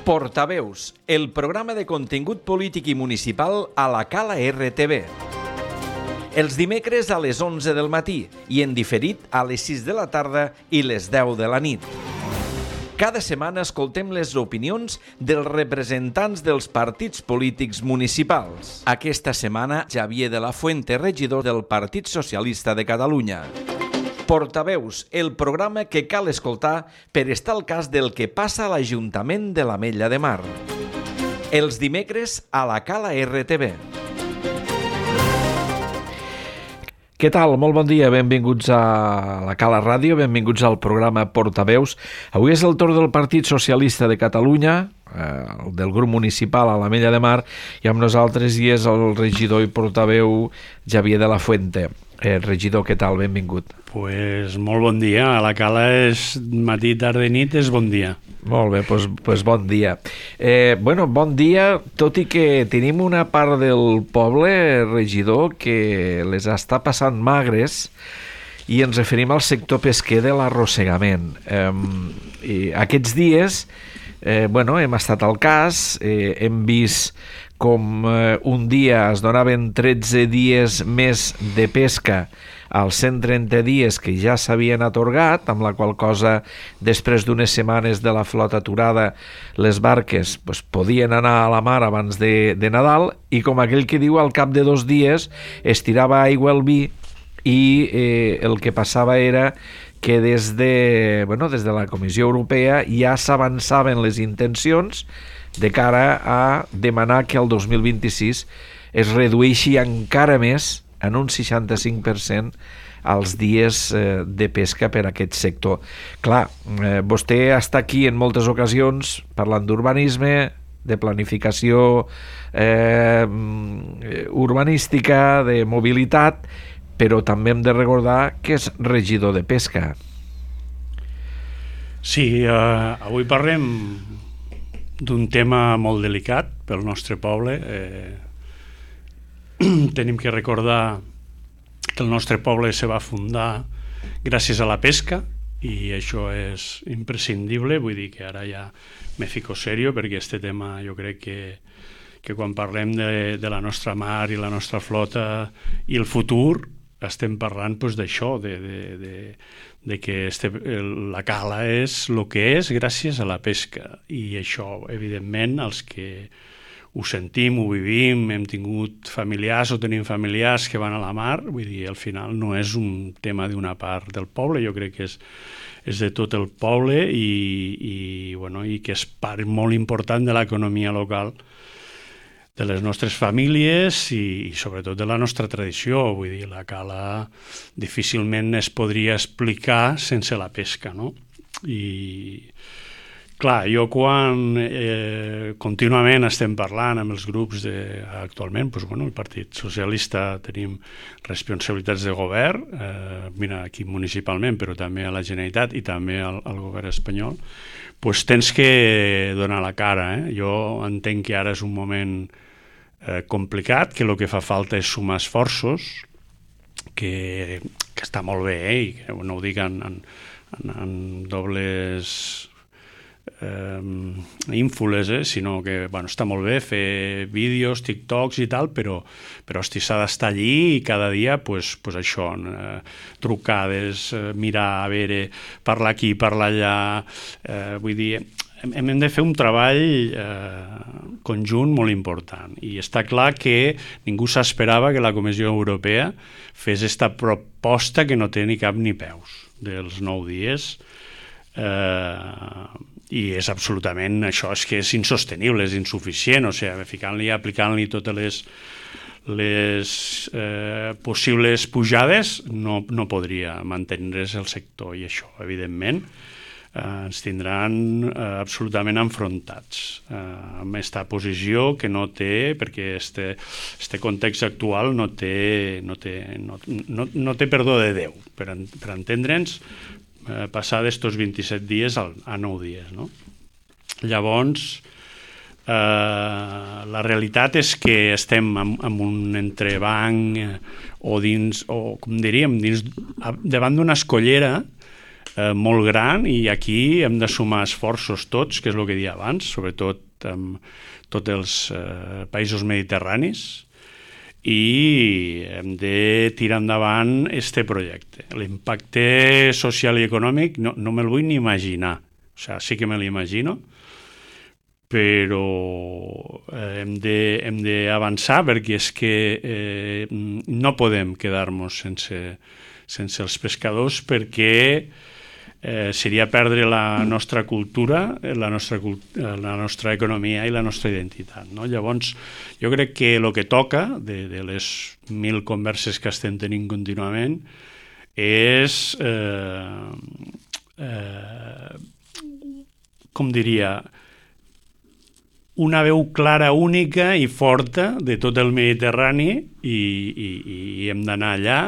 Portaveus, el programa de contingut polític i municipal a la Cala RTV. Els dimecres a les 11 del matí i en diferit a les 6 de la tarda i les 10 de la nit. Cada setmana escoltem les opinions dels representants dels partits polítics municipals. Aquesta setmana, Xavier de la Fuente, regidor del Partit Socialista de Catalunya. Portaveus, el programa que cal escoltar per estar al cas del que passa a l'Ajuntament de l'Ametlla de Mar. Els dimecres a la Cala RTV. Què tal? Molt bon dia, benvinguts a la Cala Ràdio, benvinguts al programa Portaveus. Avui és el torn del Partit Socialista de Catalunya, del grup municipal a l'Ametlla de Mar, i amb nosaltres hi és el regidor i portaveu Xavier de la Fuente. Regidor, què tal? Benvingut. Pues molt bon dia. A la Cala és matí, tarda i nit, és bon dia. Molt bé, doncs bon dia. Bon dia, tot i que tenim una part del poble, regidor, que les està passant magres, i ens referim al sector pesquer de l'arrossegament. Aquests dies hem estat al cas, hem vist com un dia es donaven 13 dies més de pesca als 130 dies que ja s'havien atorgat, amb la qual cosa, després d'unes setmanes de la flota aturada, les barques podien anar a la mar abans de Nadal, i com aquell que diu, al cap de 2 dies es tirava aigua al vi, i el que passava era que des de la Comissió Europea ja s'avançaven les intencions de cara a demanar que el 2026 es redueixi encara més, en un 65%, els dies de pesca per a aquest sector. Clar, vostè està aquí en moltes ocasions parlant d'urbanisme, de planificació urbanística, de mobilitat, però també hem de recordar que és regidor de pesca. Sí, avui parlem d'un tema molt delicat pel nostre poble. Tenim que recordar que el nostre poble se va fundar gràcies a la pesca, i això és imprescindible. Vull dir que ara ja me fico serio, perquè este tema jo crec que quan parlem de la nostra mar i la nostra flota i el futur, estem parlant d'això, de que la cala és el que és gràcies a la pesca. I això, evidentment, els que ho sentim, ho vivim, hem tingut familiars o tenim familiars que van a la mar, vull dir, al final no és un tema d'una part del poble, jo crec que és de tot el poble, i que és part molt important de l'economia local, de les nostres famílies i sobretot de la nostra tradició. Vull dir, la cala difícilment es podria explicar sense la pesca, no? I clar, jo quan contínuament estem parlant amb els grups actualment, el Partit Socialista tenim responsabilitats de govern, aquí municipalment, però també a la Generalitat i també al govern espanyol, tens que donar la cara. Jo entenc que ara és un moment complicat, que el que fa falta és sumar esforços, que està molt bé, i que no ho dic en dobles ínfoles, sinó que està molt bé fer vídeos, TikToks i tal, però s'ha d'estar allí i cada dia això, trucades, mirar, a veure, parlar aquí, parlar allà. Vull dir, hem de fer un treball conjunt molt important, i està clar que ningú s'esperava que la Comissió Europea fes aquesta proposta que no té ni cap ni peus dels 9 dies, i és absolutament, això és que és insostenible, és insuficient, o sigui, ficant-li, aplicant-li totes les possibles pujades no podria mantenir-se el sector, i això, evidentment, ens tindran absolutament enfrontats amb aquesta posició que no té, perquè este context actual no té perdó de Déu per entendre'ns, passar d'estos 27 dies a 9 dies, no? Llavors, la realitat és que estem en un entrebanc o com diríem, davant d'una escollera molt gran, i aquí hem de sumar esforços tots, que és el que deia abans, sobretot amb tots els països mediterranis, i hem de tirar endavant este projecte. L'impacte social i econòmic no me'l vull ni imaginar. O sigui, sí que me l'imagino, però hem d'avançar, perquè és que no podem quedar-nos sense els pescadors, perquè seria perdre la nostra cultura, la nostra economia i la nostra identitat, no? Llavors, jo crec que el que toca, de les 1000 converses que estem tenint contínuament, és, com diria, una veu clara, única i forta de tot el Mediterrani, i hem d'anar allà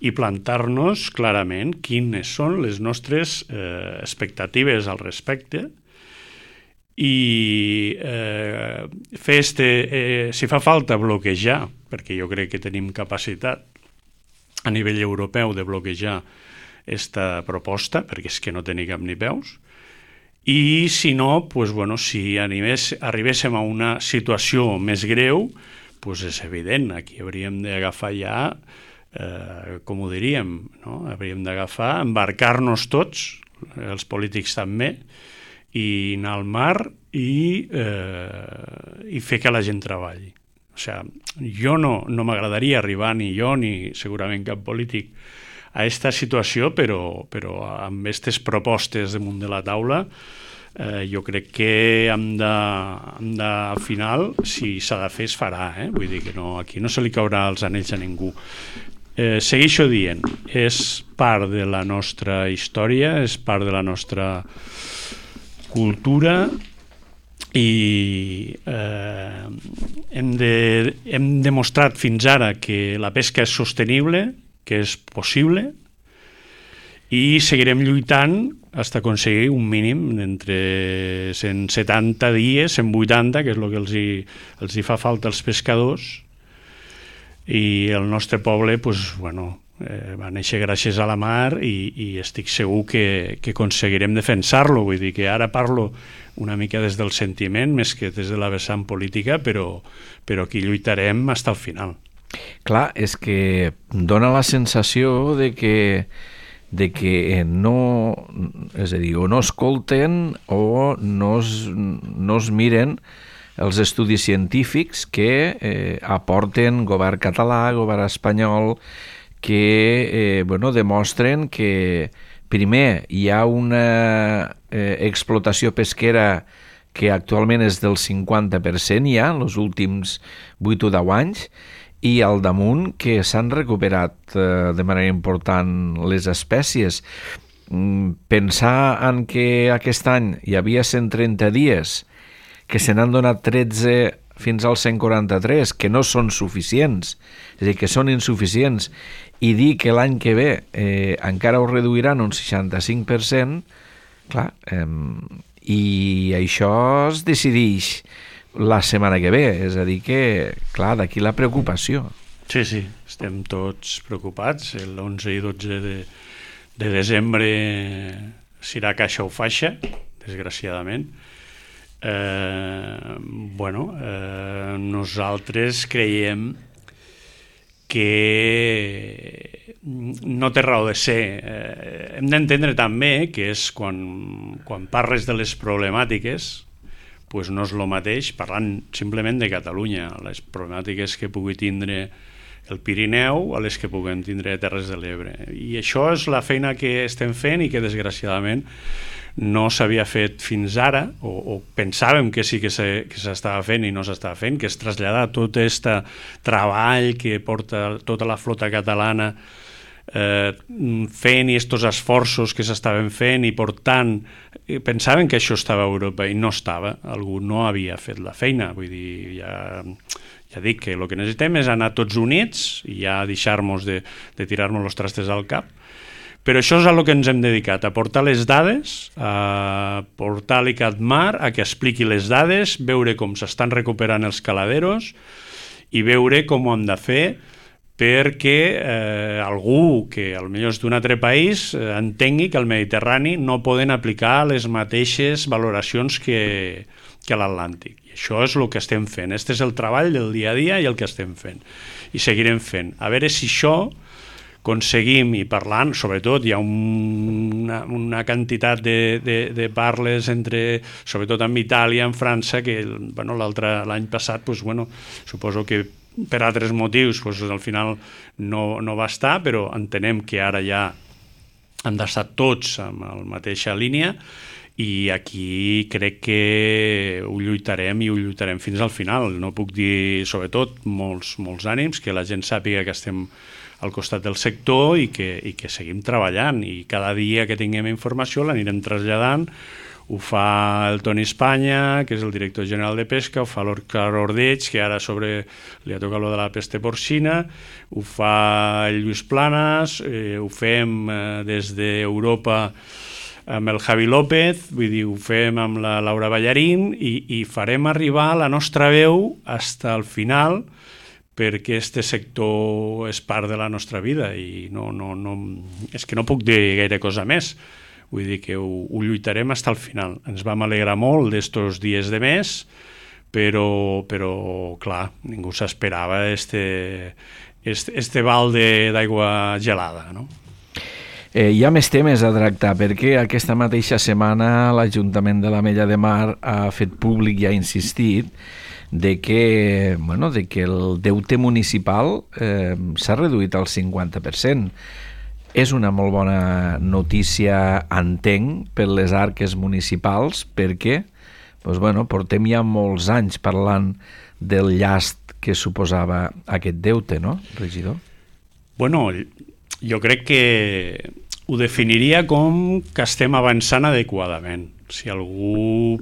i plantar-nos clarament quines són les nostres expectatives al respecte, i fer si fa falta bloquejar, perquè jo crec que tenim capacitat a nivell europeu de bloquejar aquesta proposta, perquè és que no té ni cap ni peus, i si no, si arribéssim a una situació més greu, és evident, aquí hauríem d'agafar ja, com ho diríem, no? Hauríem d'agafar, embarcar-nos tots, els polítics també, i anar al mar i fer que la gent treballi. O sigui, jo no m'agradaria arribar, ni jo ni segurament cap polític, a aquesta situació, però amb aquestes propostes damunt de la taula, jo crec que al final, si s'ha de fer, es farà. Vull dir que aquí no se li caurà els anells a ningú. Segueixo dient, és part de la nostra història, és part de la nostra cultura, i hem demostrat fins ara que la pesca és sostenible, que és possible, i seguirem lluitant fins a aconseguir un mínim d'entre 170 dies, 180, que és el que els hi fa falta als pescadors, i el nostre poble va néixer gràcies a la mar, i estic segur que aconseguirem defensar-lo. Vull dir que ara parlo una mica des del sentiment més que des de la vessant política, però aquí lluitarem fins al final. Clar, és que dona la sensació de que no, és a dir, o no escolten o no es miren els estudis científics que aporten govern català, govern espanyol, que demostren que primer hi ha una explotació pesquera que actualment és del 50% ja, en els últims 8 o 10 anys, i al damunt que s'han recuperat de manera important les espècies. Pensar en que aquest any hi havia 130 dies, que se n'han donat 13 fins als 143, que no són suficients, és a dir, que són insuficients, i dir que l'any que ve encara ho reduiran un 65%, clar, i això es decideix la setmana que ve, és a dir que, clar, d'aquí la preocupació. Sí, estem tots preocupats. L'11 i 12 de desembre serà caixa o faixa, desgraciadament. Nosaltres creiem que no té raó de ser. Hem d'entendre també que és quan parles de les problemàtiques, no és el mateix parlant simplement de Catalunya, les problemàtiques que pugui tindre el Pirineu a les que puguem tindre Terres de l'Ebre. I això és la feina que estem fent i que desgraciadament no s'havia fet fins ara, o pensàvem que sí que s'estava fent i no s'estava fent, que és traslladar tot aquest treball que porta tota la flota catalana fent i aquests esforços que s'estaven fent i portant, pensaven que això estava a Europa i no estava, algú no havia fet la feina. Vull dir, ja dic que el que necessitem és anar tots units i ja deixar-nos de tirar-nos els trastes al cap. Però això és a el que ens hem dedicat, a portar les dades, a portar l'ICATMAR, a que expliqui les dades, veure com s'estan recuperant els caladeros i veure com ho hem de fer perquè algú que potser és d'un altre país entengui que al Mediterrani no poden aplicar les mateixes valoracions que a l'Atlàntic. I això és el que estem fent. Este és el treball del dia a dia i el que estem fent. I seguirem fent. A veure si això aconseguim, i parlant, sobretot hi ha una quantitat de parles sobretot amb Itàlia, amb França, que l'any passat suposo que per altres motius al final no va estar, però entenem que ara ja han d'estar tots amb la mateixa línia, i aquí crec que ho lluitarem fins al final. No puc dir, sobretot, molts ànims, que la gent sàpiga que estem al costat del sector i que seguim treballant, i cada dia que tinguem informació l'anirem traslladant. Ho fa el Toni Espanya, que és el director general de Pesca, ho fa l'Òscar Ordeig, que ara li ha tocat lo de la peste porcina, ho fa el Lluís Planas, ho fem des d'Europa amb el Javi López, vull dir, ho fem amb la Laura Ballarín, i farem arribar la nostra veu fins al final, perquè este sector és part de la nostra vida, i és que no puc dir gaire cosa més. Vull dir que ho lluitarem fins al final. Ens vam alegrar molt d'estos dies de mes, però clar, ningú s'esperava este balde d'aigua gelada, no? Hi ha més temes a tractar, perquè aquesta mateixa setmana l'Ajuntament de l'Ametlla de Mar ha fet públic i ha insistit de que el deute municipal s'ha reduït al 50%. És una molt bona notícia, entenc, per les arques municipals, perquè portem ja molts anys parlant del llast que suposava aquest deute, no, regidor? Jo crec que ho definiria com que estem avançant adequadament. Si algú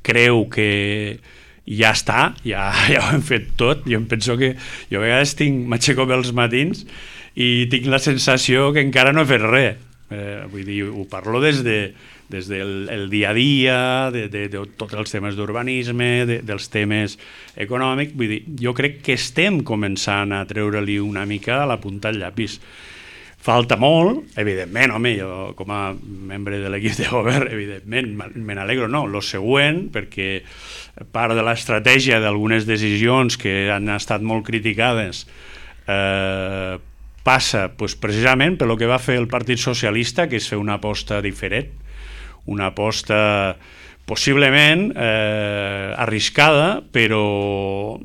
creu que ja està, ja ho hem fet tot, jo em penso que jo a vegades m'aixeco pels matins i tinc la sensació que encara no he fet res. Vull dir, ho parlo des del dia a dia, de tots els temes d'urbanisme, dels temes econòmics. Vull dir, jo crec que estem començant a treure-li una mica la punta al llapis. Falta molt, evidentment, home, jo com a membre de l'equip de govern, evidentment, me n'alegro, no, lo següent, perquè part de l'estratègia d'algunes decisions que han estat molt criticades passa precisament per lo que va fer el Partit Socialista, que és fer una aposta diferent, una aposta possiblement arriscada, però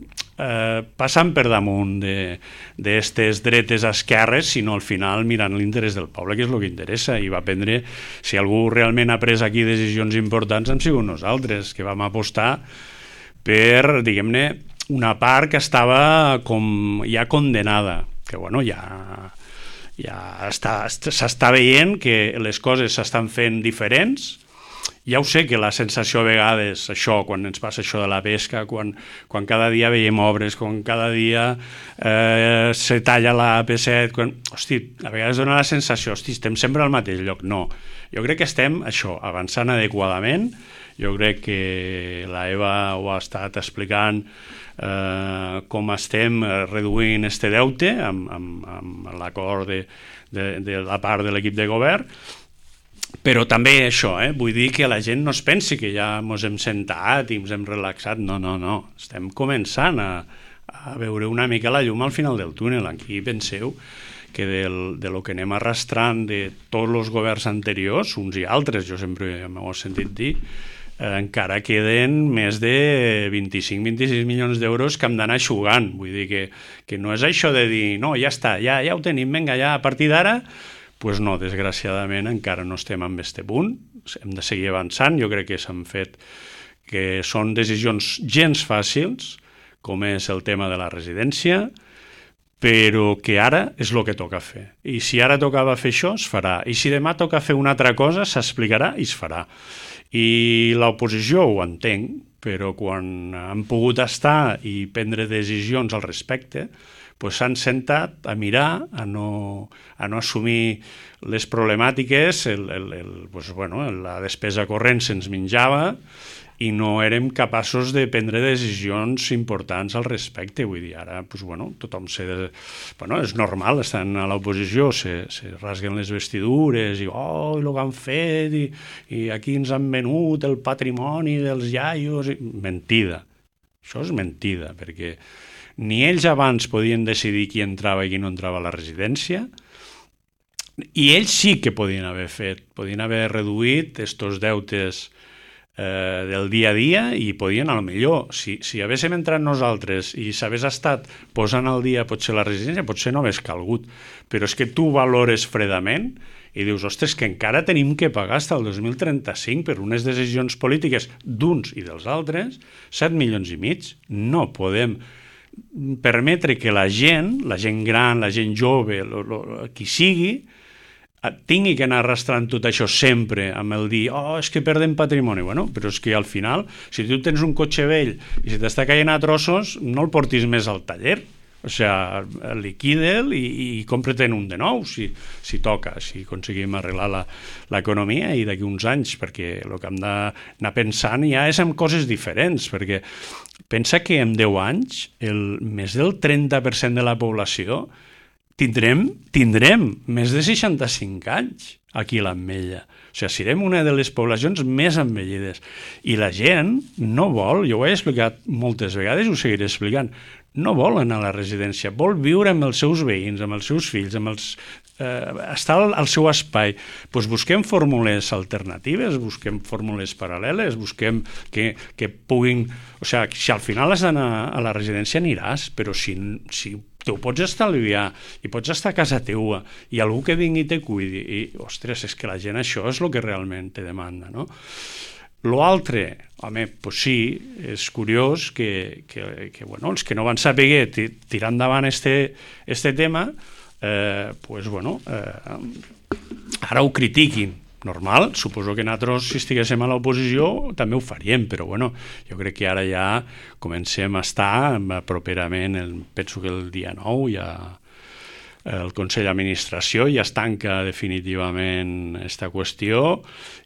passant per damunt d'estes dretes esquerres, sinó al final mirant l'interès del poble, que és el que interessa. I va prendre, si algú realment ha pres aquí decisions importants, hem sigut nosaltres, que vam apostar per, diguem-ne, una part que estava com ja condenada, que s'està veient que les coses s'estan fent diferents. Ja ho sé que la sensació a vegades, això, quan ens passa això de la pesca, quan cada dia veiem obres, quan cada dia se talla la AP7, a vegades dona la sensació, estem sempre al mateix lloc. No, jo crec que estem, avançant adequadament. Jo crec que la Eva ho ha estat explicant, com estem reduint este deute amb l'acord de la part de l'equip de govern. Però també això, vull dir que la gent no es pensi que ja ens hem sentat i ens hem relaxat. No. Estem començant a veure una mica la llum al final del túnel. Aquí penseu que de lo que anem arrastrant de tots els governs anteriors, uns i altres, jo sempre m'ho he sentit dir, encara queden més de 25-26 milions d'euros que hem d'anar eixugant. Vull dir que no és això de dir, no, ja està, ja ho tenim, vinga, ja a partir d'ara. Doncs no, desgraciadament encara no estem en aquest punt, hem de seguir avançant. Jo crec que s'han fet, que són decisions gens fàcils, com és el tema de la residència, però que ara és el que toca fer. I si ara tocava fer això, es farà. I si demà toca fer una altra cosa, s'explicarà i es farà. I l'oposició ho entenc, però quan han pogut estar i prendre decisions al respecte, pues s'han sentat a mirar, a no assumir les problemàtiques, pues, bueno, la despesa corrent se'ns menjava i no érem capaços de prendre decisions importants al respecte. Vull dir, ara pues, bueno, tothom és normal, estan a l'oposició, se rasguen les vestidures i el que han fet i aquí ens han venut el patrimoni dels iaios. Mentida. Això és mentida, perquè ni ells abans podien decidir qui entrava i qui no entrava a la residència, i ells sí que podien haver reduït estos deutes del dia a dia i podien, a lo millor, si haguéssim entrat nosaltres i s'hagués estat posant al dia potser la residència, potser no hagués calgut, però és que tu valores fredament i dius, ostres, que encara tenim que pagar fins al 2035 per unes decisions polítiques d'uns i dels altres, 7,5 milions. No podem permetre que la gent gran, la gent jove, qui sigui, tingui que anar arrastrant tot això sempre amb el dir, és que perdem patrimoni. Bueno, però és que al final, si tu tens un cotxe vell i si t'està caient a trossos, no el portis més al taller. O sigui, liquida'l i compra-te'n un de nou, si toca, si aconseguim arreglar l'economia i d'aquí uns anys, perquè el que hem d'anar pensant ja és en coses diferents, perquè pensa que en 10 anys més del 30% de la població tindrem més de 65 anys aquí a l'Ametlla. O sigui, serem una de les poblacions més envellides. I la gent no vol, jo ho he explicat moltes vegades i ho seguiré explicant, no vol anar a la residència, vol viure amb els seus veïns, amb els seus fills, estar al seu espai. Doncs busquem fórmules alternatives, busquem fórmules paral·leles, busquem que puguin... O sigui, si al final has d'anar a la residència aniràs, però si tu pots estalviar i pots estar a casa teua i algú que vingui i te cuidi i, ostres, és que la gent això és el que realment te demanda, no? L'altre, home, doncs sí, és curiós que bueno, els que no van saber tirar endavant este tema, doncs bueno, ara ho critiquin. Normal, suposo que nosaltres, si estiguéssim a l'oposició, també ho faríem, però bueno, jo crec que ara ja comencem a estar properament, penso que el dia 9 ja el Consell d'Administració ja es tanca definitivament aquesta qüestió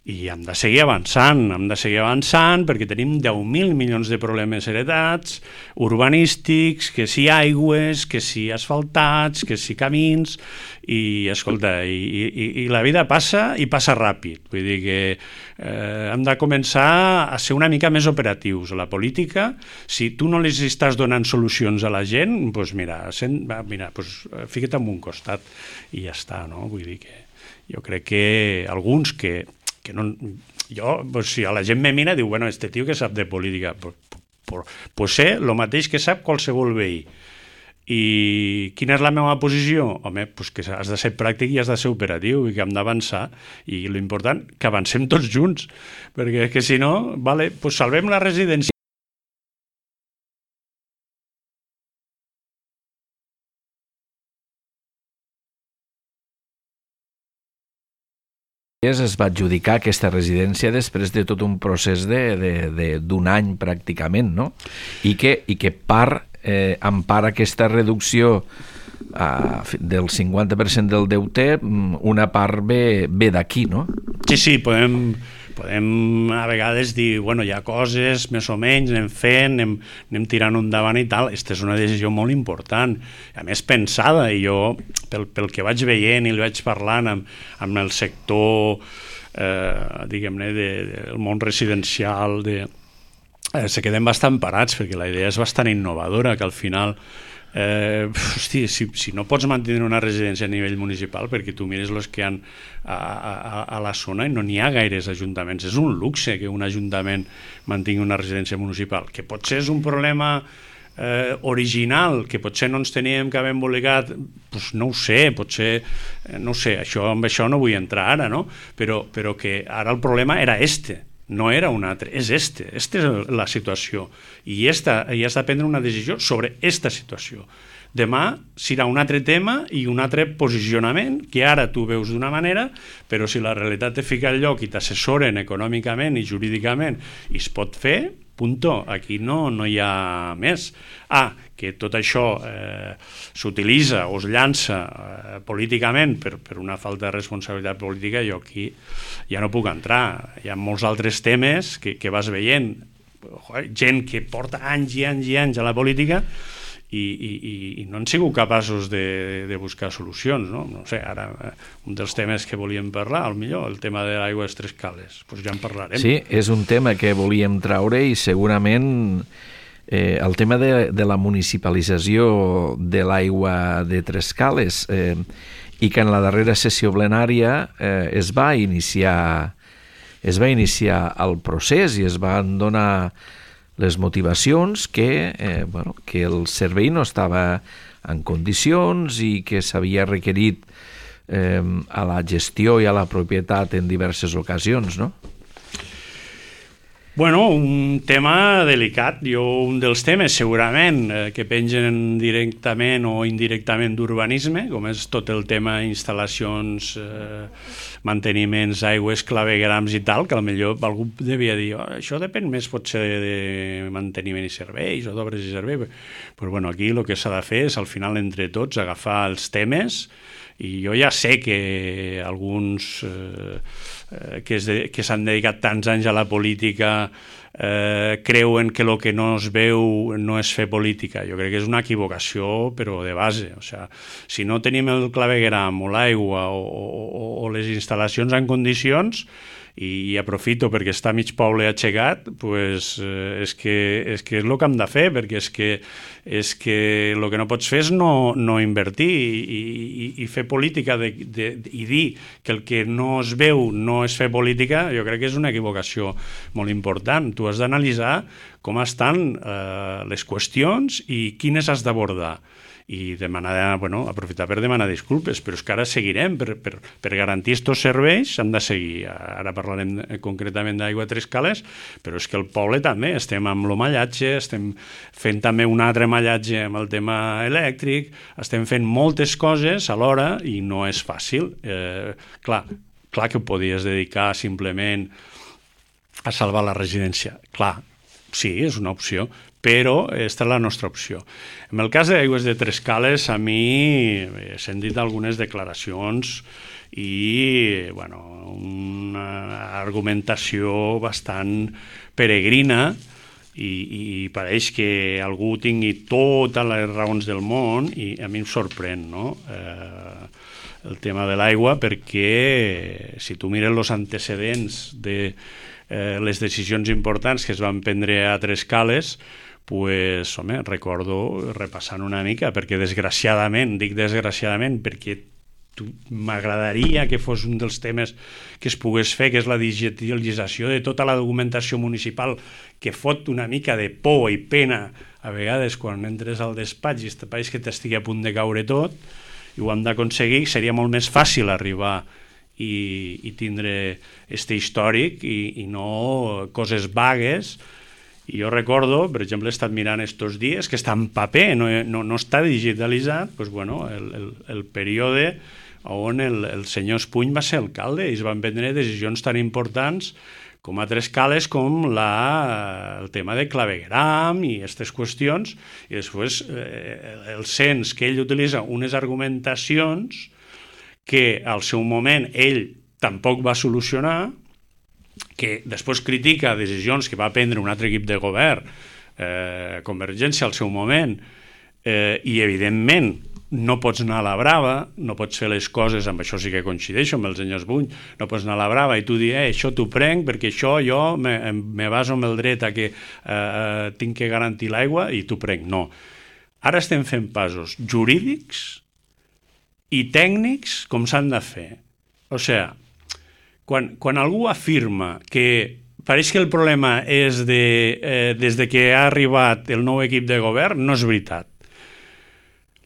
i hem de seguir avançant perquè tenim 10.000 milions de problemes heretats, urbanístics, que si aigües, que si asfaltats, que si camins, i escolta, i la vida passa i passa ràpid, vull dir que hem de començar a ser una mica més operatius. La política, si tu no les estàs donant solucions a la gent, doncs mira, fica't en un costat i ja està, no? Vull dir que jo crec que alguns que no... si a la gent me mira, diu, bueno, este tio que sap de política, pues sé el mateix que sap qualsevol veí. I quina és la meva posició? Home, doncs que has de ser pràctic i has de ser operatiu i que hem d'avançar, i l'important que avancem tots junts, perquè que si no, vale, doncs salvem la residència. Es va adjudicar aquesta residència després de tot un procés d'un any pràcticament, no? I que empara aquesta reducció del 50% del deute, una part ve d'aquí, no? Sí, podem a vegades dir, bueno, hi ha coses, més o menys, anem fent, anem tirant endavant i tal. Aquesta és una decisió molt important, a més pensada, i jo, pel que vaig veient i li vaig parlant amb el sector, diguem-ne, del món residencial, se queden bastant parats, perquè la idea és bastant innovadora, que al final... si no pots mantenir una residència a nivell municipal, perquè tu mires els que hi ha a la zona i no n'hi ha gaires ajuntaments, és un luxe que un ajuntament mantingui una residència municipal, que potser és un problema original, que potser no ens teníem que haver embolicat, doncs no ho sé, potser no ho sé, amb això no vull entrar ara, no? Però que ara el problema era no era un altre, és esta és la situació, i has de prendre una decisió sobre aquesta situació. Demà serà un altre tema i un altre posicionament, que ara tu veus d'una manera, però si la realitat te fica al lloc i t'assessoren econòmicament i jurídicament i es pot fer, Punto. Aquí no hi ha més. Que tot això s'utilitza o es llança políticament per una falta de responsabilitat política, jo aquí ja no puc entrar. Hi ha molts altres temes que vas veient. Gent que porta anys i anys i anys a la política i no han sigut capaços de buscar solucions, no? No sé, ara un dels temes que volíem parlar, millor el tema de l'aigua de Tres Cales, doncs ja en parlarem. Sí, és un tema que volíem traure i segurament el tema de la municipalització de l'aigua de Tres Cales i que en la darrera sessió plenària es va iniciar el procés i es van donar les motivacions que el servei no estava en condicions i que s'havia requerit a la gestió i a la propietat en diverses ocasions, no? Bueno, un tema delicat. Un dels temes segurament que pengen directament o indirectament d'urbanisme, com és tot el tema instal·lacions, manteniments, aigües, claveguerams i tal, que potser algú devia dir això depèn més potser de manteniment i serveis o d'obres i serveis. Però bueno, aquí el que s'ha de fer és al final entre tots agafar els temes i jo ja sé que alguns que s'han dedicat tants anys a la política creuen que el que no es veu no és fer política. Jo crec que és una equivocació, però de base. O sigui, si no tenim el clavegueram o l'aigua o les instal·lacions en condicions, i aprofito perquè està mig poble aixecat, pues, és que és el que hem de fer, perquè és que el que no pots fer és no invertir i fer política i dir que el que no es veu no és fer política. Jo crec que és una equivocació molt important. Tu has d'analitzar com estan les qüestions i quines has d'abordar. I aprofitar per demanar disculpes, però és que ara seguirem, per garantir aquests serveis hem de seguir. Ara parlarem concretament d'aigua Tres Cales, però és que el poble també estem amb el mallatge, estem fent també un altre mallatge amb el tema elèctric, estem fent moltes coses alhora i no és fàcil. Clar que ho podies dedicar simplement a salvar la residència. Clar, sí, és una opció, però aquesta és la nostra opció. En el cas d'Aigües de Tres Cales, a mi he sentit algunes declaracions i una argumentació bastant peregrina i pareix que algú tingui totes les raons del món i a mi em sorprèn, no? El tema de l'aigua, perquè si tu mires els antecedents de les decisions importants que es van prendre a Tres Cales, pues, recordo repassant una mica, perquè desgraciadament, dic desgraciadament, perquè m'agradaria que fos un dels temes que es pogués fer, que és la digitalització de tota la documentació municipal, que fot una mica de por i pena a vegades quan entres al despatx i pareix que t'estigui a punt de caure tot, i ho hem d'aconseguir. Seria molt més fàcil arribar i tindre este històric i no coses vagues. I jo recordo, per exemple, he estat mirant estos dies que està en paper, no està digitalitzat, doncs, el període on el senyor Espuny va ser alcalde i es van prendre decisions tan importants com a Tres Cales, com el tema de clavegueram i aquestes qüestions, i després el cens que ell utilitza unes argumentacions que al seu moment ell tampoc va solucionar, que després critica decisions que va prendre un altre equip de govern, Convergència al seu moment, i evidentment no pots anar a la brava, no pots fer les coses, amb això sí que coincideixo amb el senyor Espuny, no pots anar a la brava i tu dir, això t'ho prenc perquè això jo me baso amb el dret a que tinc que garantir l'aigua i t'ho prenc. No. Ara estem fent passos jurídics i tècnics com s'han de fer. O sigui, quan algú afirma que pareix que el problema és des que ha arribat el nou equip de govern, no és veritat.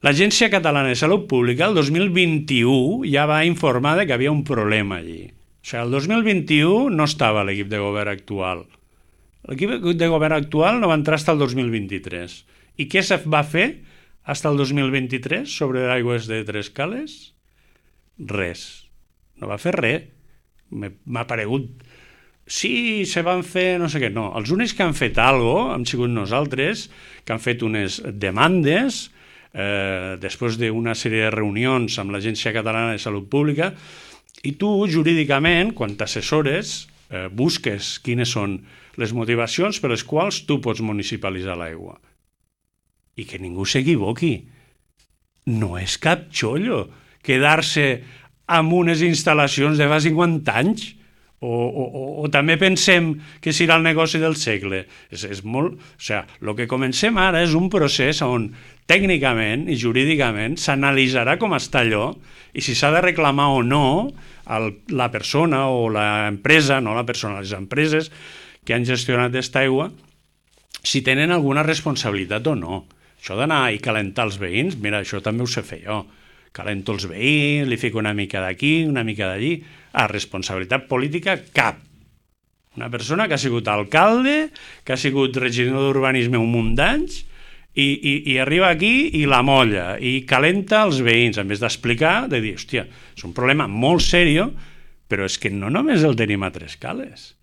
L'Agència Catalana de Salut Pública el 2021 ja va informar que havia un problema allí. O sigui, el 2021 no estava l'equip de govern actual. L'equip de govern actual no va entrar fins al 2023. I què se va fer fins al 2023 sobre aigües de Tres Cales? Res. No va fer res. M'ha paregut sí, se van fer no sé què. No, els únics que han fet alguna cosa hem sigut nosaltres, que han fet unes demandes després d'una sèrie de reunions amb l'Agència Catalana de Salut Pública, i tu, jurídicament, quan t'assessores, busques quines són les motivacions per les quals tu pots municipalitzar l'aigua. I que ningú s'equivoqui. No és cap xollo quedar-se amb unes instal·lacions de fa 50 anys. O també pensem que serà el negoci del segle. És molt... O sigui, el que comencem ara és un procés on tècnicament i jurídicament s'analitzarà com està allò i si s'ha de reclamar o no la persona o l'empresa, no la persona, les empreses que han gestionat aquesta aigua, si tenen alguna responsabilitat o no. Això d'anar i calentar els veïns, mira, això també ho sé fer jo. Calento els veïns, li fico una mica d'aquí, una mica d'allí. Responsabilitat política, cap. Una persona que ha sigut alcalde, que ha sigut regidor d'urbanisme un munt d'anys, i arriba aquí i la molla, i calenta els veïns, en vez d'explicar, de dir, hòstia, és un problema molt serio, però és que no només el tenim a Trescales.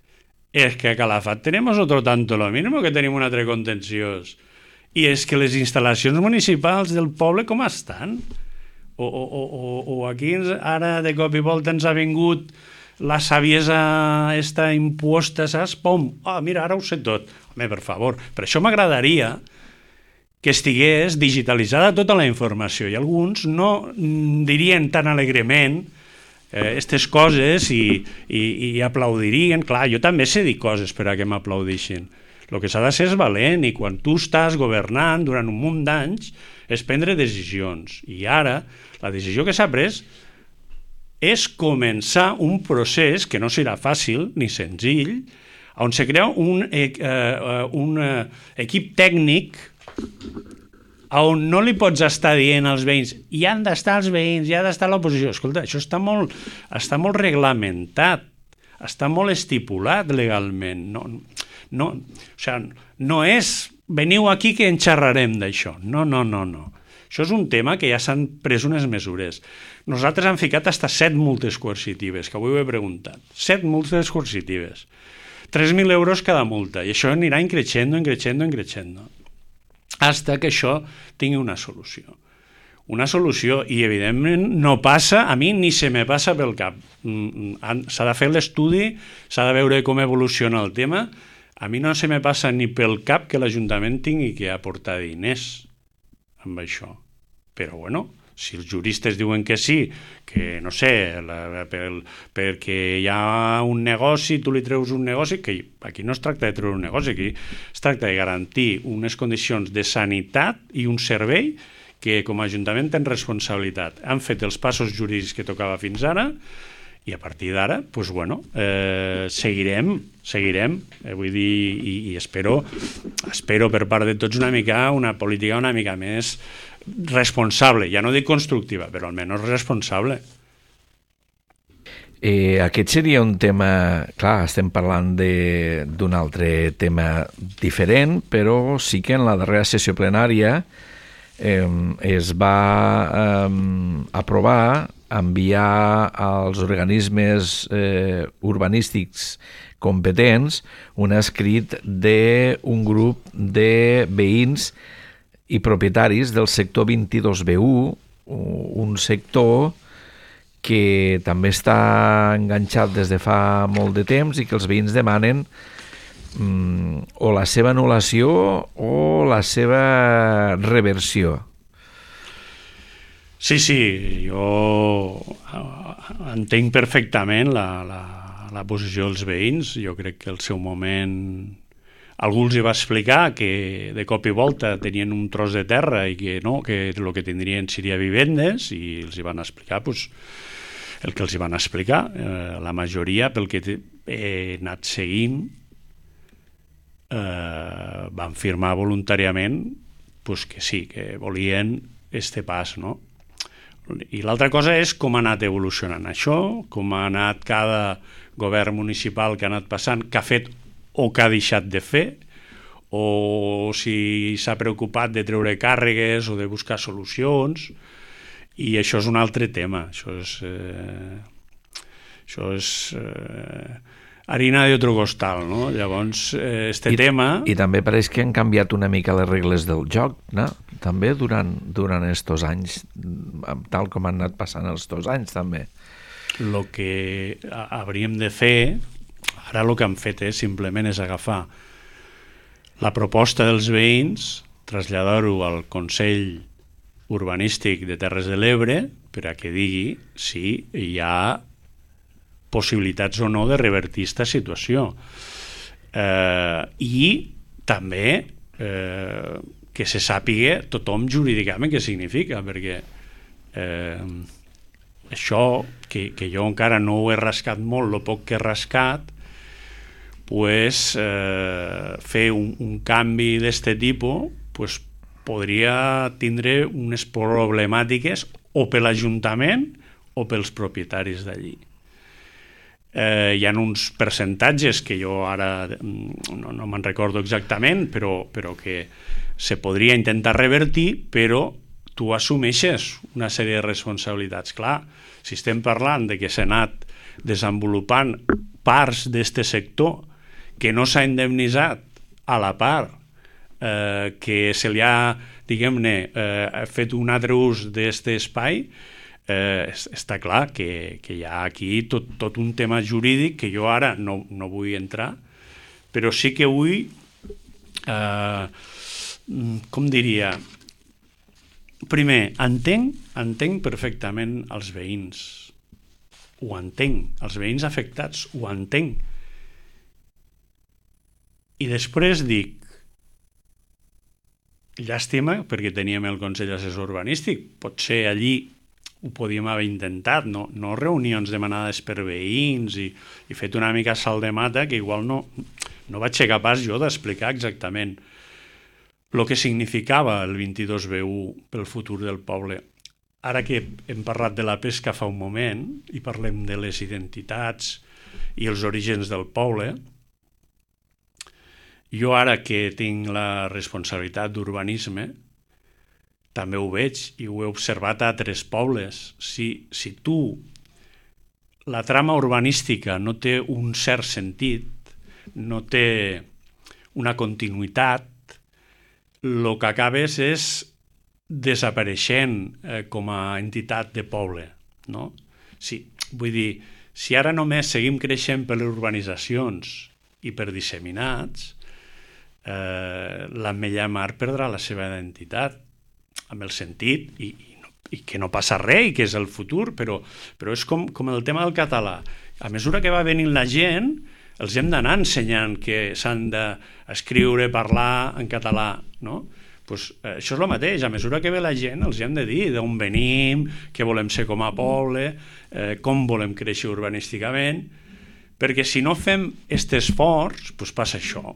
És que a Calafat tenemos otro tanto lo mismo, que tenim un altre contenciós. I és que les instal·lacions municipals del poble com estan? O aquí ara de cop i volta ens ha vingut la saviesa esta imposta, saps? Pum! Mira, ara ho sé tot. Home, per favor. Per això m'agradaria que estigués digitalitzada tota la informació i alguns no dirien tan alegrement aquestes coses i aplaudirien. Clar, jo també sé dir coses per a que m'aplaudixin. El que s'ha de ser és valent i quan tu estàs governant durant un munt d'anys és prendre decisions. I ara la decisió que s'ha pres és començar un procés que no serà fàcil ni senzill, on se crea un equip tècnic on no li pots estar dient als veïns hi han d'estar els veïns, hi ha d'estar l'oposició. Escolta, això està molt reglamentat, està molt estipulat legalment. O sigui, no és veniu aquí que en xerrarem d'això. No. Això és un tema que ja s'han pres unes mesures. Nosaltres hem ficat hasta 7 multes coercitives, que avui ho he preguntat. 7 multes coercitives. 3.000 euros cada multa. I això anirà increixendo, hasta que això tingui una solució. Una solució, i evidentment no passa, a mi ni se me passa pel cap. S'ha de fer l'estudi, s'ha de veure com evoluciona el tema. A mi no se me passa ni pel cap que l'Ajuntament tingui que aportar diners amb això. Però, bueno, si els juristes diuen que sí, que, no sé, perquè hi ha un negoci, tu li treus un negoci, que aquí no es tracta de treure un negoci, aquí es tracta de garantir unes condicions de sanitat i un servei que com a Ajuntament tenen responsabilitat. Han fet els passos jurídics que tocava fins ara, i a partir d'ara, doncs, bueno, seguirem, vull dir, i espero per part de tots una política una mica més responsable, ja no dic constructiva, però almenys responsable. Aquest seria un tema, clar, estem parlant d'un altre tema diferent, però sí que en la darrera sessió plenària es va aprovar enviar als organismes urbanístics competents un escrit d'un grup de veïns i propietaris del sector 22B1, un sector que també està enganxat des de fa molt de temps i que els veïns demanen o la seva anul·lació o la seva reversió. Sí, jo entenc perfectament la posició dels veïns. Jo crec que al seu moment algú els va explicar que de cop i volta tenien un tros de terra i que no, que el que tindrien seria vivendes, i els van explicar el que els van explicar. La majoria, pel que he anat seguint, van firmar voluntàriament que sí, que volien este pas, no? I l'altra cosa és com ha anat evolucionant això, com ha anat cada govern municipal que ha anat passant, que ha fet o que ha deixat de fer, o si s'ha preocupat de treure càrregues o de buscar solucions, i això és un altre tema. Això és harina d'altre costal, no? Llavors, tema... I també pareix que han canviat una mica les regles del joc, no? També durant estos anys, tal com han anat passant els 2 anys, també. El que hauríem de fer, ara el que han fet simplement és agafar la proposta dels veïns, traslladar-ho al Consell Urbanístic de Terres de l'Ebre per a que digui si hi ha possibilitats o no de revertir aquesta situació. I també que se sàpiga tothom jurídicament què significa, perquè això, que jo encara no ho he rascat molt, el poc que he rascat, pues, fer un canvi d'aquest tipus pues, podria tindre unes problemàtiques o per l'Ajuntament o pels propietaris d'allí. Hi ha uns percentatges que jo ara no me'n recordo exactament, però que se podria intentar revertir, però tu assumeixes una sèrie de responsabilitats. Clar, si estem parlant de que s'ha anat desenvolupant parts d'aquest sector que no s'ha indemnitzat a la part que se li ha, diguem-ne, fet un altre ús d'aquest espai, està clar que hi ha aquí tot un tema jurídic que jo ara no vull entrar, però sí que vull, com diria, primer, entenc perfectament els veïns, ho entenc, els veïns afectats ho entenc, i després dic, llàstima, perquè teníem el Consell Assessor Urbanístic, potser allí ho podíem haver intentat, no reunions demanades per veïns i fet una mica salt de mata que igual no vaig ser capaç jo d'explicar exactament el que significava el 22B1 pel futur del poble. Ara que hem parlat de la pesca fa un moment i parlem de les identitats i els orígens del poble, jo ara que tinc la responsabilitat d'urbanisme també ho veig i ho he observat a altres pobles. Si la trama urbanística no té un cert sentit, no té una continuïtat, el que acabes és desapareixent com a entitat de poble, no? Vull dir, si ara només seguim creixent per les urbanitzacions i per disseminats, l'Ametlla de Mar perdrà la seva identitat, amb el sentit i que no passa res i que és el futur, però és com el tema del català. A mesura que va venint la gent, els hem d'anar ensenyant que s'han d'escriure, parlar en català, no? Pues això és el mateix, a mesura que ve la gent els hem de dir d'on venim, què volem ser com a poble, com volem créixer urbanísticament, perquè si no fem aquest esforç, pues passa això.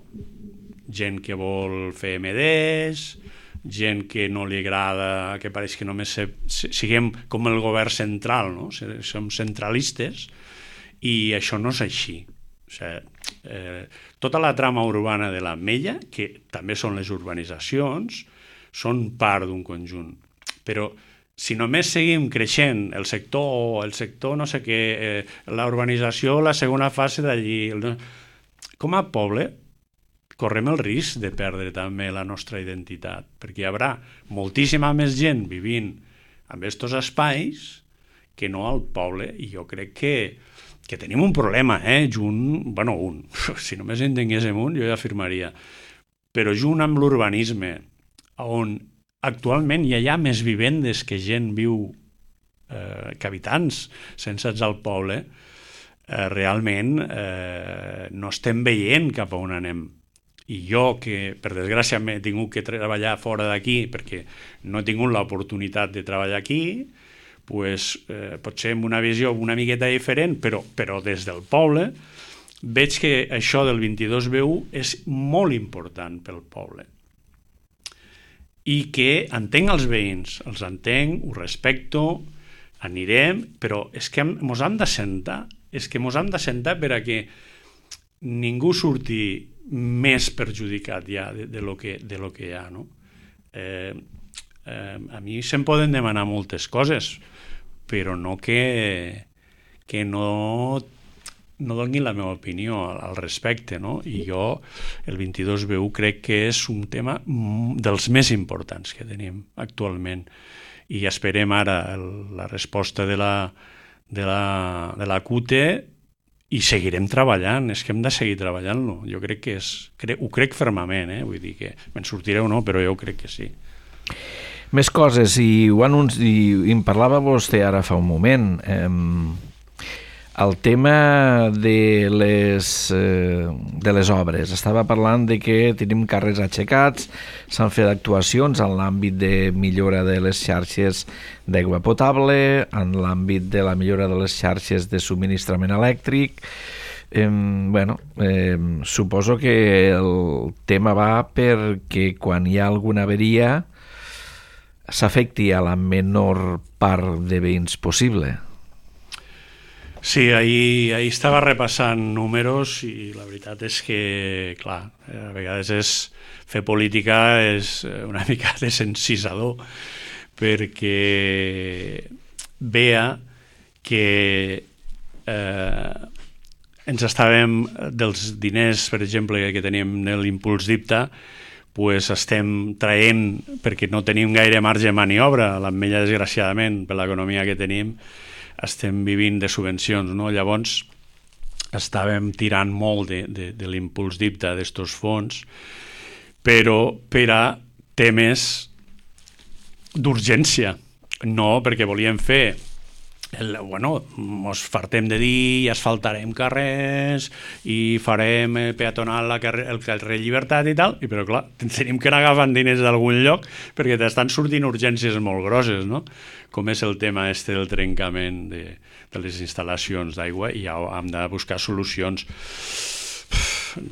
Gent que vol fer MDs, gent que no li agrada, que pareix que només siguem com el govern central, no? Som centralistes, i això no és així. O sigui, tota la trama urbana de l'Ametlla, que també són les urbanitzacions, són part d'un conjunt. Però si només seguim creixent el sector no sé què, la urbanització, la segona fase d'allí, com a poble, correm el risc de perdre també la nostra identitat, perquè hi haurà moltíssima més gent vivint en aquests espais que no al poble, i jo crec que tenim un problema, si només en tinguéssim un, jo ja afirmaria, però junt amb l'urbanisme, on actualment hi ha més vivendes que gent viu, que habitants censats al poble, realment no estem veient cap a on anem. I jo, que per desgràcia he tingut que treballar fora d'aquí perquè no he tingut l'oportunitat de treballar aquí, pues, potser amb una visió una miqueta diferent, però des del poble veig que això del 22B1 és molt important pel poble. I que entenc els veïns, els entenc, ho respecto, anirem, però és que mos hem d'assentar, per a que ningú surti més perjudicat ja de lo que hi ha, no? A mi se'm poden demanar moltes coses, però no que no no doni la meva opinió al respecte, no? I jo el 22B1 crec que és un tema dels més importants que tenim actualment, i esperem ara la resposta de la CUTE i seguirem treballant, és que hem de seguir treballant-lo. Jo crec que ho crec fermament, vull dir que me'n sortiré o no, però jo crec que sí. Més coses, i en parlava vostè ara fa un moment, el tema de les obres. Estava parlant de que tenim carrers aixecats, s'han fet actuacions en l'àmbit de millora de les xarxes d'aigua potable, en l'àmbit de la millora de les xarxes de subministrament elèctric. Suposo que el tema va perquè quan hi ha alguna averia s'afecti a la menor part de veïns possible. Sí, ahir estava repassant números i la veritat és que, clar, a vegades fer política és una mica desencisador, perquè veia que ens estàvem dels diners, per exemple, que teníem en l'impuls d'IPTA, pues estem traient, perquè no tenim gaire marge de maniobra, l'ametlla desgraciadament per l'economia que tenim, estem vivint de subvencions, no? Llavors estàvem tirant molt de l'impuls d'IPTA d'estos fons, però per a temes d'urgència, no perquè volíem fer ens fartem de dir i asfaltarem carrers i farem peatonal el carrer Llibertat i tal, però clar, tenim que anar agafant diners d'algun lloc perquè t'estan sortint urgències molt grosses, no? Com és el tema del trencament de les instal·lacions d'aigua, i ja hem de buscar solucions.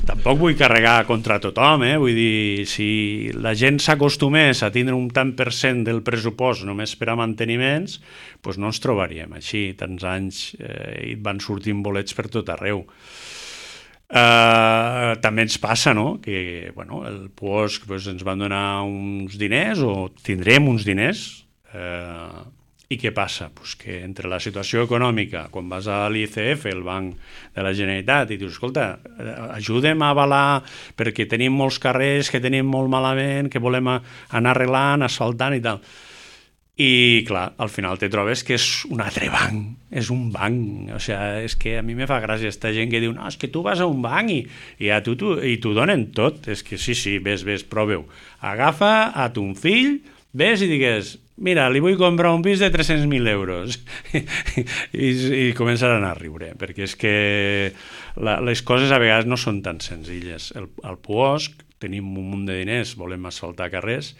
Tampoc vull carregar contra tothom, vull dir, si la gent s'acostumés a tindre un tant per cent del pressupost només per a manteniments, doncs no ens trobaríem així, tants anys i van sortint bolets per tot arreu. També ens passa, no?, que el POSC ens van donar uns diners o tindrem uns diners, i què passa? Pues que entre la situació econòmica, quan vas a l'ICF, el Banc de la Generalitat, i dius, escolta, ajudem a avalar perquè tenim molts carrers que tenim molt malament, que volem anar arreglant, asfaltant i tal. I clar, al final te trobes que és un altre banc, és un banc, o sigui, és que a mi me fa gràcia aquesta gent que diu, no, és que tu vas a un banc i t'ho donen tot, és que sí, ves, proveu, agafa a ton fill, ves i digues, mira, li vull comprar un pis de 300.000 euros i començaran a riure, perquè és que les coses a vegades no són tan senzilles. Al POSC tenim un munt de diners, volem asfaltar carrers,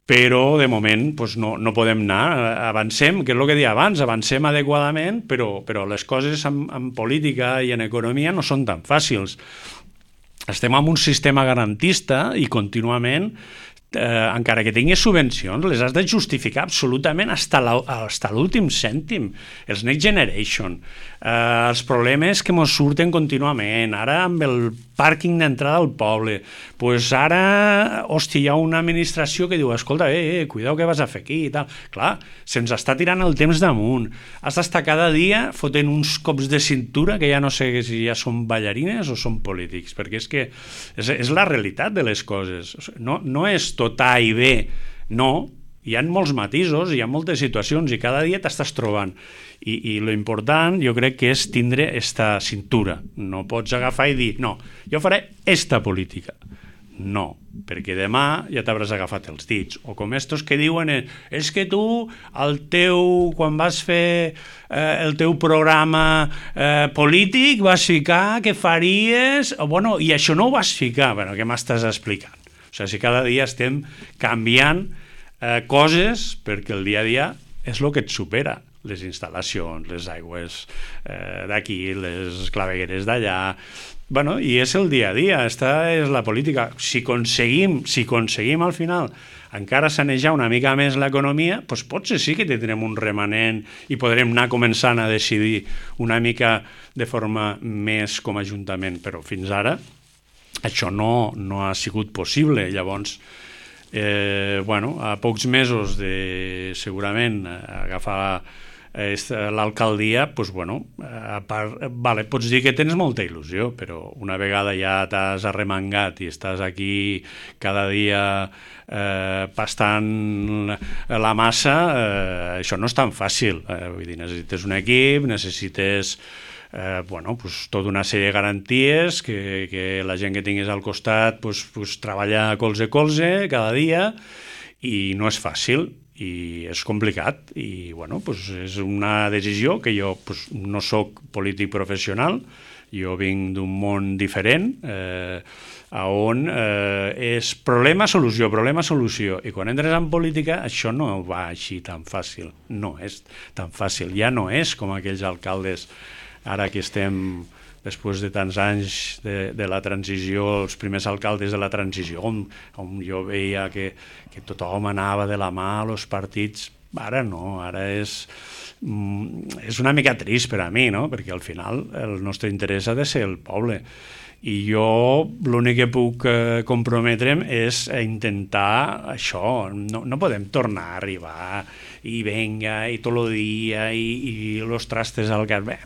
però de moment no podem anar, avancem, que és el que deia abans, avancem adequadament, però les coses en política i en economia no són tan fàcils. Estem en un sistema garantista i contínuament encara que tinguis subvencions, les has de justificar absolutament fins a l'últim cèntim. Els Next Generation, els problemes que ens surten contínuament, ara amb el pàrquing d'entrada al poble, doncs ara, hòstia, hi ha una administració que diu, escolta, cuidao què vas a fer aquí i tal. Clar, se'ns està tirant el temps damunt. Has d'estar cada dia fotent uns cops de cintura que ja no sé si ja són ballarines o són polítics, perquè és que és la realitat de les coses. No és tot A i B, no, hi ha molts matisos, hi ha moltes situacions i cada dia t'estàs trobant. I lo important jo crec que és tindre esta cintura. No pots agafar i dir, no, jo faré esta política. No, perquè demà ja t'hauràs agafat els dits. O com estos que diuen, és que tu, quan vas fer el teu programa polític, vas ficar que faries, i això no ho vas ficar. Bueno, què m'estàs explicant? O sigui, si cada dia estem canviant coses perquè el dia a dia és el que et supera. Les instal·lacions, les aigües d'aquí, les clavegueres d'allà. I és el dia a dia, aquesta és la política. Si aconseguim al final encara sanejar una mica més l'economia, doncs potser sí que tindrem un remanent i podrem anar començant a decidir una mica de forma més com a ajuntament, però fins ara això no ha sigut possible. Llavors, a pocs mesos de segurament agafar l'alcaldia, doncs, bueno, a part, vale, pots dir que tens molta il·lusió, però una vegada ja t'has arremangat i estàs aquí cada dia pastant la massa, això no és tan fàcil. Vull dir, necessites un equip, necessites pues, tota una sèrie de garanties, que la gent que tinguis al costat pues, treballa colze a colze cada dia, i no és fàcil i és complicat, i bueno, pues, és una decisió que jo pues, no sóc polític professional, jo vinc d'un món diferent, on és problema-solució, problema-solució, i quan entres en política això no va així tan fàcil, no és tan fàcil, ja no és com aquells alcaldes ara que estem després de tants anys de la transició, els primers alcaldes de la transició, on jo veia que tothom anava de la mà als partits. Ara no, ara és una mica trist per a mi, no? Perquè al final el nostre interès ha de ser el poble. I jo l'únic que puc comprometre'm és a intentar això. No podem tornar a arribar i venga, i tot el dia, i los trastes al gas. Bé,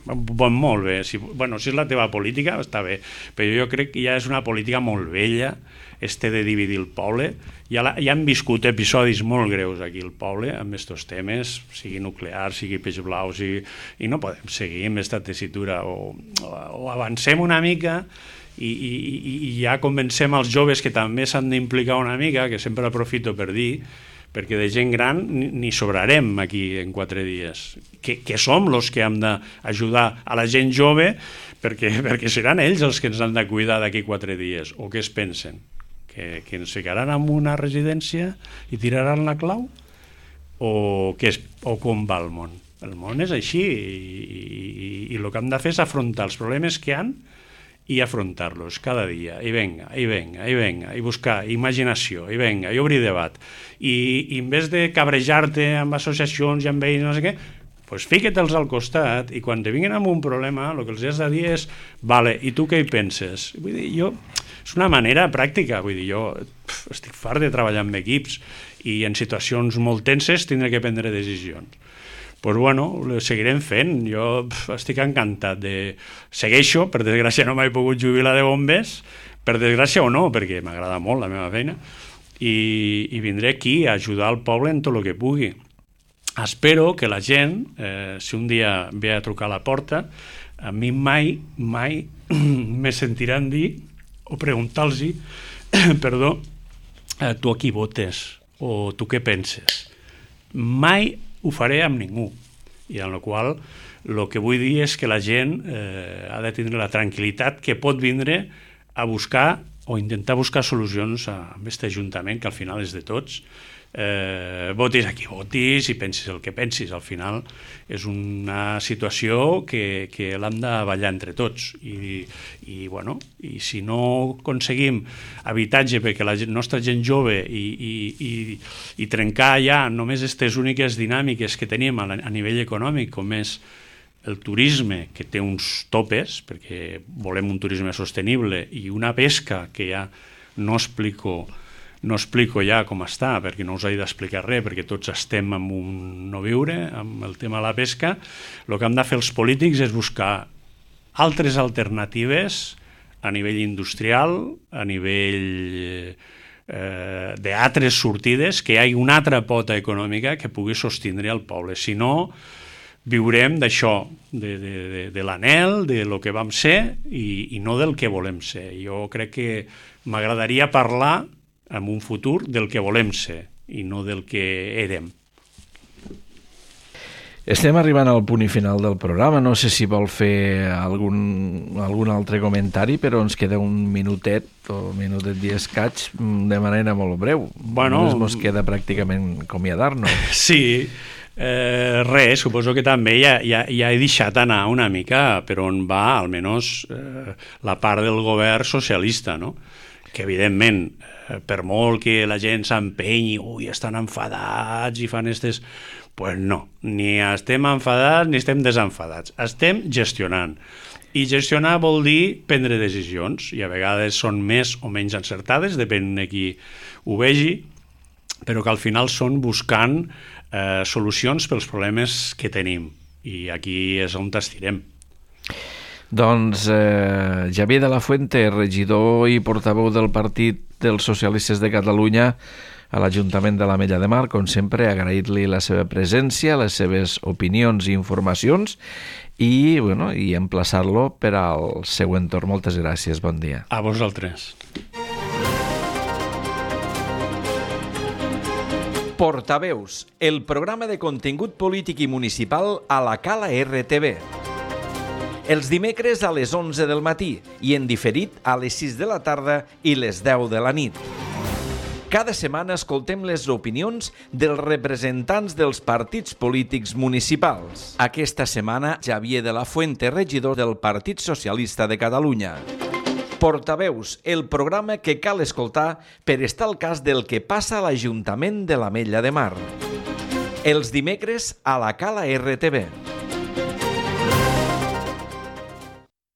molt bé. Si és la teva política, està bé. Però jo crec que ja és una política molt vella, de dividir el poble. Ja han viscut episodis molt greus aquí al poble amb aquests temes, sigui nuclear, sigui peix blau, i no podem seguir amb aquesta tessitura. O avancem una mica i ja convencem els joves que també s'han d'implicar una mica, que sempre aprofito per dir, perquè de gent gran ni sobrarem aquí en 4 dies, que som els que hem d'ajudar a la gent jove, perquè seran ells els que ens han de cuidar d'aquí 4 dies, o què es pensen? Que ens ficaran en una residència i tiraran la clau? O com va el món? El món és així, i el que hem de fer és afrontar els problemes que hi ha i afrontar-los cada dia, i venga, i buscar imaginació, i venga, i obrir debat. I en vez de cabrejar-te amb associacions i amb ells, no sé què, doncs fica-te'ls al costat, i quan te vinguin amb un problema, el que els has de dir és, vale, i tu què hi penses? Vull dir, és una manera pràctica, vull dir, jo estic fart de treballar amb equips, i en situacions molt tenses tindré que prendre decisions. Doncs bueno, ho seguirem fent. Jo estic encantat segueixo, per desgràcia no m'he pogut jubilar de bombers, per desgràcia o no, perquè m'agrada molt la meva feina, i vindré aquí a ajudar el poble en tot el que pugui. Espero que la gent, si un dia ve a trucar a la porta, a mi mai me sentiran dir o preguntar-los perdó, tu a qui votes o tu què penses. Mai ho faré amb ningú, i en la qual el que vull dir és que la gent ha de tindre la tranquil·litat que pot vindre a buscar o intentar buscar solucions a aquest ajuntament, que al final és de tots. Votis a qui votis i pensis el que pensis, al final és una situació que l'hem de ballar entre tots, i si no aconseguim habitatge perquè la nostra gent jove i trencar ja només aquestes úniques dinàmiques que tenim a nivell econòmic, com és el turisme, que té uns topes, perquè volem un turisme sostenible, i una pesca que ja no explico ja com està, perquè no us he d'explicar res, perquè tots estem en un no viure, amb el tema de la pesca. El que hem de fer els polítics és buscar altres alternatives a nivell industrial, a nivell d'altres sortides, que hi hagi una altra pota econòmica que pugui sostindre el poble. Si no, viurem d'això, de l'anhel, de lo que vam ser i no del que volem ser. Jo crec que m'agradaria parlar en un futur del que volem ser i no del que érem. Estem arribant al punt i final del programa. No sé si vol fer algun altre comentari, però ens queda un minutet o minutet i escaig de manera molt breu. Només ens queda pràcticament acomiadar-nos. Sí, res, suposo que també ja he deixat anar una mica per on va almenys la part del govern socialista, no? Que evidentment, per molt que la gent s'empenyi, estan enfadats i fan aquestes... Pues no, ni estem enfadats ni estem desenfadats, estem gestionant. I gestionar vol dir prendre decisions, i a vegades són més o menys encertades, depèn de qui ho vegi, però que al final són buscant solucions pels problemes que tenim. i aquí és on t'estirem. Doncs Xavier de la Fuente, regidor i portaveu del Partit dels Socialistes de Catalunya a l'Ajuntament de l'Ametlla de Mar, com sempre, agrair-li la seva presència, les seves opinions i informacions i emplaçar-lo per al següent torn. Moltes gràcies, bon dia. A vosaltres. Portaveus, el programa de contingut polític i municipal a la Cala RTV. Els dimecres a les 11 del matí i en diferit a les 6 de la tarda i les 10 de la nit. Cada setmana escoltem les opinions dels representants dels partits polítics municipals. Aquesta setmana, Xavier de la Fuente, regidor del Partit Socialista de Catalunya. Portaveus, el programa que cal escoltar per estar al cas del que passa a l'Ajuntament de l'Ametlla de Mar. Els dimecres a la Cala RTV.